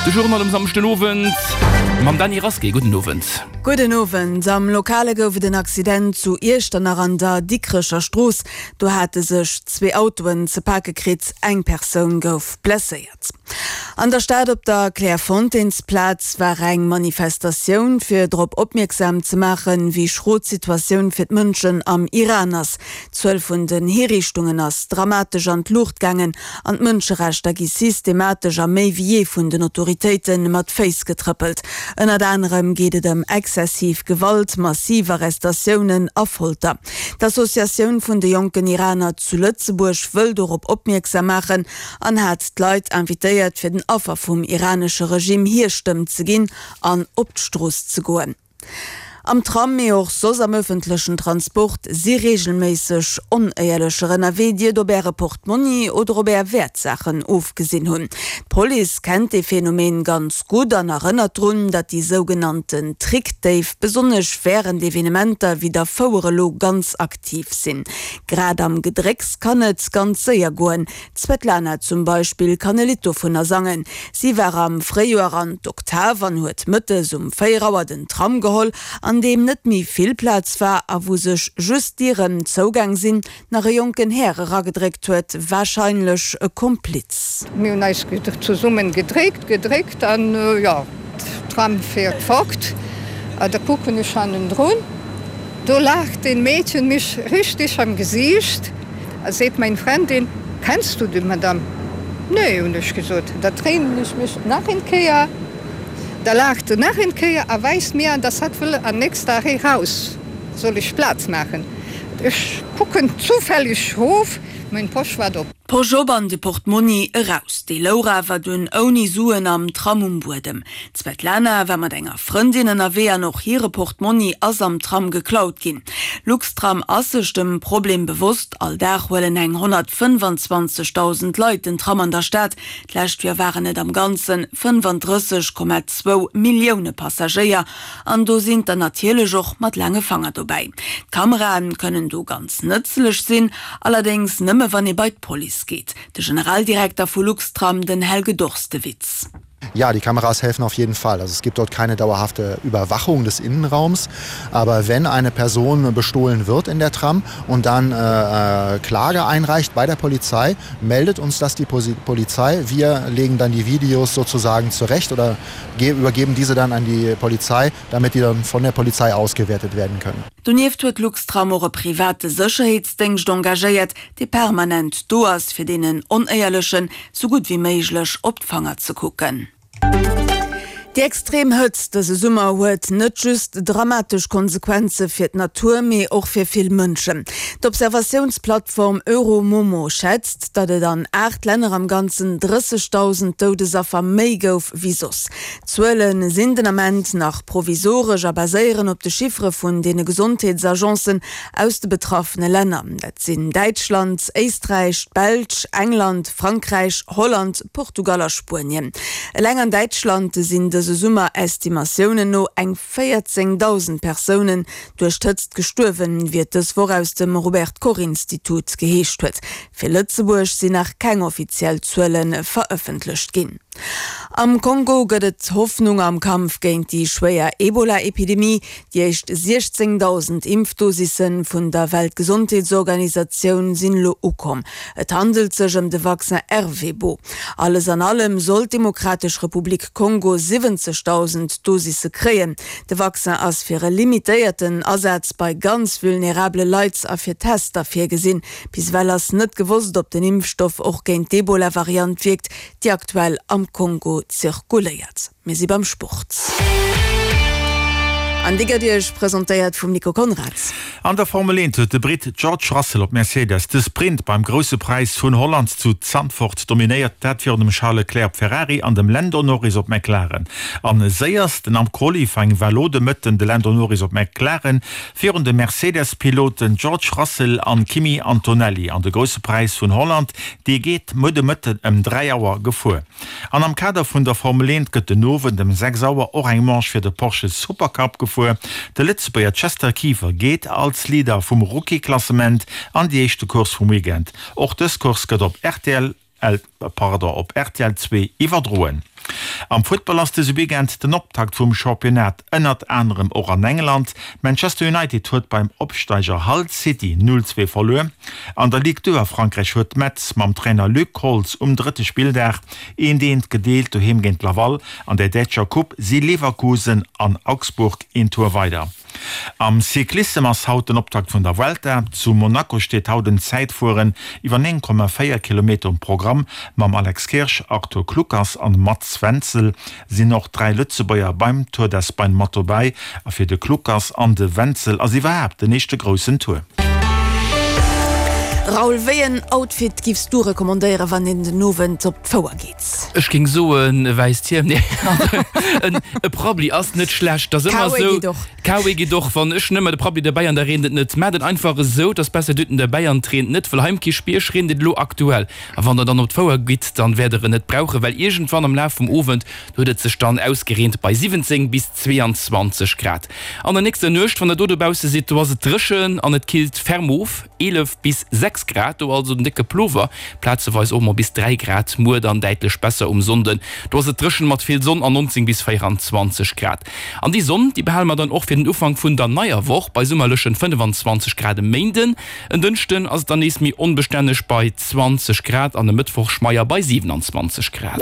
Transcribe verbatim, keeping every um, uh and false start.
De Journal um Samschdenowend mam Dany Rasqué. Gudden Owend. Gudden Owend. Am Lokale gouf et en Accident zu Iechternach an der Dikrecher Strooss. Do hate sech zwee Autoen ze pake kritt, eng Persoun gouf blesséiert. An der Stad op der Clairefontaines-Plaz war eng Manifestatioun, fir drop opmierksam ze maachen, wéi schro d'Situatioun fir d'Mënschen am Iran ass. D'Zuel vun den Hiriichtungen ass dramatesch an d'Luucht gaangen an d'Mënscherechter gi systematesch a méi wéi jee vun den Autoritéite mat Féiss getrëppelt. Ënnert anerem geet et ëm exzessiv Gewalt, massiv Arrestatiounen a Folter. D'Associatioun vun de jonken Iraner zu Lëtzebuerg wëll dorop opmierksam maachen an hat d'Leit invitéiert, fir den Affer vum iranesche Regime hir Stëmm ze ginn an op d'Strooss ze goen. Am Tram, mee och soss am ëffentlechen Transport si reegelméisseg Onéierlecher ënnerwee, déi et op Äre Portmonni oder op Är Wäertsaachen ofgesinn hunn. D'Police kennt dee Phänomen ganz gutt an erënnert drun, datt déi sougenannten Trickdéif besonnesch wärend Evenementer wéi der Fouer elo ganz aktiv sinn. Grad am Gedrécks kann et ganz séier goen. D'Svetlana zum Beispill kann e Lidd dovunner sangen. Si war am Fréijoer an d'Oktav an huet mëttes um véier Auer den Tram geholl, an deem net méi vill Plaz war a wou sech just d'Dieren zougaang sinn, nach e jonken Här eragedréckt huet, warscheinlech e Kompliz. Mir hunn eis zesummen gedréckt, gedréckt an jo, d'Tram fiert fort a da kucken ech hannendrun, do laacht een Mädchen mech richteg am Gesiicht a seet meng Frendin, Kennst du die Madame? Nee, hunn ech gesot. Da dréinen ech mech nach eng Kéier, da laacht se nach eng Kéier a weist mir an, dass hatt wëll am nächsten Arrêt raus, soll ech Plaz maachen. Ech kucken zufälleg rof, meng Posch war do. D'Posch op an de Portmonni eraus. Déi louch awer dunn ouni Suen am Tram um Buedem. D'Svetlana war mat enger Frëndin ënnerwee an och hire Portmonni ass am Tram geklaut ginn. Luxtram ass sech dem Problem bewosst. All Dag huelen eng honnertfënnefanzwanzegdausend Leit den Tram an der Stad. D'lescht Joer waren et am Ganze fënnefandrësseg Komma zwou Millioune Passagéier. An do sinn der natierlech och mat laange Fanger dobäi. D'Kamerae kënnen do ganz nëtzlech sinn, allerdéngs nëmme wann ee bei d'Police geet. De Generaldirekter vu Luxtram, den Helge Dorstewitz. Ja, die Kameras helfen auf jeden Fall. Also es gibt dort keine dauerhafte Überwachung des Innenraums. Aber wenn eine Person bestohlen wird in der Tram und dann äh, äh, Klage einreicht bei der Polizei, meldet uns das die Polizei. Wir legen dann die Videos sozusagen zurecht oder übergeben diese dann an die Polizei, damit die dann von der Polizei ausgewertet werden können. Donieft huet Luxtram och e private Sécherheetsdéngscht engagéiert, dee permanent do ass, fir deenen Onéierlechen sou gutt wéi méiglech op d'Fanger ze kucken. Déi extrem Hëtzt dëse Summer huet net just dramatesch Konsequenze fir d'Natur, mee och fir vill Mënschen. D'Observatiounsplattform Euromomo schätzt, datt et an aacht Länner am Ganzen drëssegdausend Doudesaffer méi gouf wéi soss. D'Zuele sinn den Ament nach provisoresch a baséieren op de Chiffere vun deene Gesondheetsagencen aus de betraffene Länner. Dat sinn Däitschland, Éisträich, d'Belsch, England, Frankräich, Holland, Portugal a Spuenien. Eleng an Däitschland sinn dëse Summer Estimatiounen no eng véierzéngdausend Persounen duerch d'Hëtzt gestuerwen, wéi et dës Woch aus dem Robert Koch Institut geheescht huet. Fir Lëtzebuerg sinn nach keng offiziell Zuele verëffentlecht ginn. Am Kongo gëtt et Hoffnung am Kampf géint déi schwéier Ebola-Epidemie. Déi éischt siechzéngdausend Impfdosisse vun der Weltgesondheetsorganisatioun sinn elo ukomm. Et handelt sech ëm de Vaccin Ervebo. Alles an allem soll d'Demokratesch Republik Kongo siwwenzegdausend Dosisse kréien. De Vaccin ass fir e limitéierten Asaz bei ganz vulnerabele Leit a fir Tester virgesinn. Bis ewell ass net gewosst, ob den Impfstoff och géint d'Ebola-Variant wierkt, déi aktuell am Kongo zirkuléiert. Mir si beim Sport. An dee gëtt Iech presentéiert vum Nico Conrads. An der Formel eent huet de Britt George Russell op Mercedes de Sprint beim Grousse Präis vun Holland zu Zandvoort dominéiert, dat virun dem Charles Leclerc op Ferrari an dem Lando Norris op McLaren. An séiersten am Qualifying war lo de Mëtten de Lando Norris op McLaren virun de Mercedes-Piloten George Russell an Kimi Antonelli. An de Grousse Präis vun Holland, dee geet muer de Mëtten ëm dräi Auer gefuer. An am Kader vun der Formel eent gëtt den Owend ëm sechs Auer och eng Manche fir de Porsche Supercup gefuer. De Lëtzebuerger Chester Kieffer geet als Leader vum Rookie-Klassement an déi éischte Course vum Weekend. Och dës Course gëtt op rtl, pardon, op rtl zwee iwwerdroen. Am Futtball ass dëse Weekend den Optakt vum Championnat, ënnert anerem och an England. Manchester United huet beim Opsteiger Hull City null zwee verluer. An der Ligue deux a Frankräich huet Metz mam Trainer Luc Holtz um drëtte Spilldag eent eent gedeelt doheem géint Laval. An der däitscher Coupe si Leverkusen an Augsburg een Tour weider. Am Cyclissem ass haut den Optakt vun der Vuelta. Zu Monaco steet haut en Zäitfueren iwwer néng Komma véier Kilometer um Programm. Mam Alex Kirsch, Arthur Kluckers an Mats Wenzel sinn och dräi Lëtzebuerger beim Tour d'Espagne mat dobäi. A fir de Kluckers an de Wenzel ass iwwerhaapt den éischte groussen Tour. Raoul, wéi en Outfit giffs du recommandéieren, wann een den Owend op d'Fouer geet? Ech géing soen, e wäisst Hiem. Nee, en e Prabbli ass net schlecht. Dat ass ëmmer K-Way esou. geet och. K-Way geet och. Wann ech nëmme de Prabbli derbäi an da reent et net. Maacht et einfach esou, et ass besser dir hutt en derbäi an et reent net, well hei um Kierchbierg reent et elo aktuell. A wann der dann op d'Fouer gitt, dann wäert der en net brauchen, well iergendwann am Laf vum Owend huet et sech dann ausgereent bei siwwenzéng bis zweeanzwanzeg Grad. An der nächster Nuecht, wann der do dobausse sidd, do ass et dréchen an et killt ferm of, eelef bis sechs Grad, do also den décke Plover, plazeweis och mol bis dräi Grad. Muer dann däitlech besser um Sonnden, do ass et dréchen mat vill Sonn an neunzéng bis véieranzwanzeg Grad. An déi Sonn, déi behale mer dann och fir den Ufank vun der neier Woch bei summerlechen fënnefanzwanzeg Grad e Méinden. En Dënschden ass et dann nees méi onbestänneg bei zwanzeg Grad an e Mëttwoch schmeier bei siwenanzwanzeg Grad.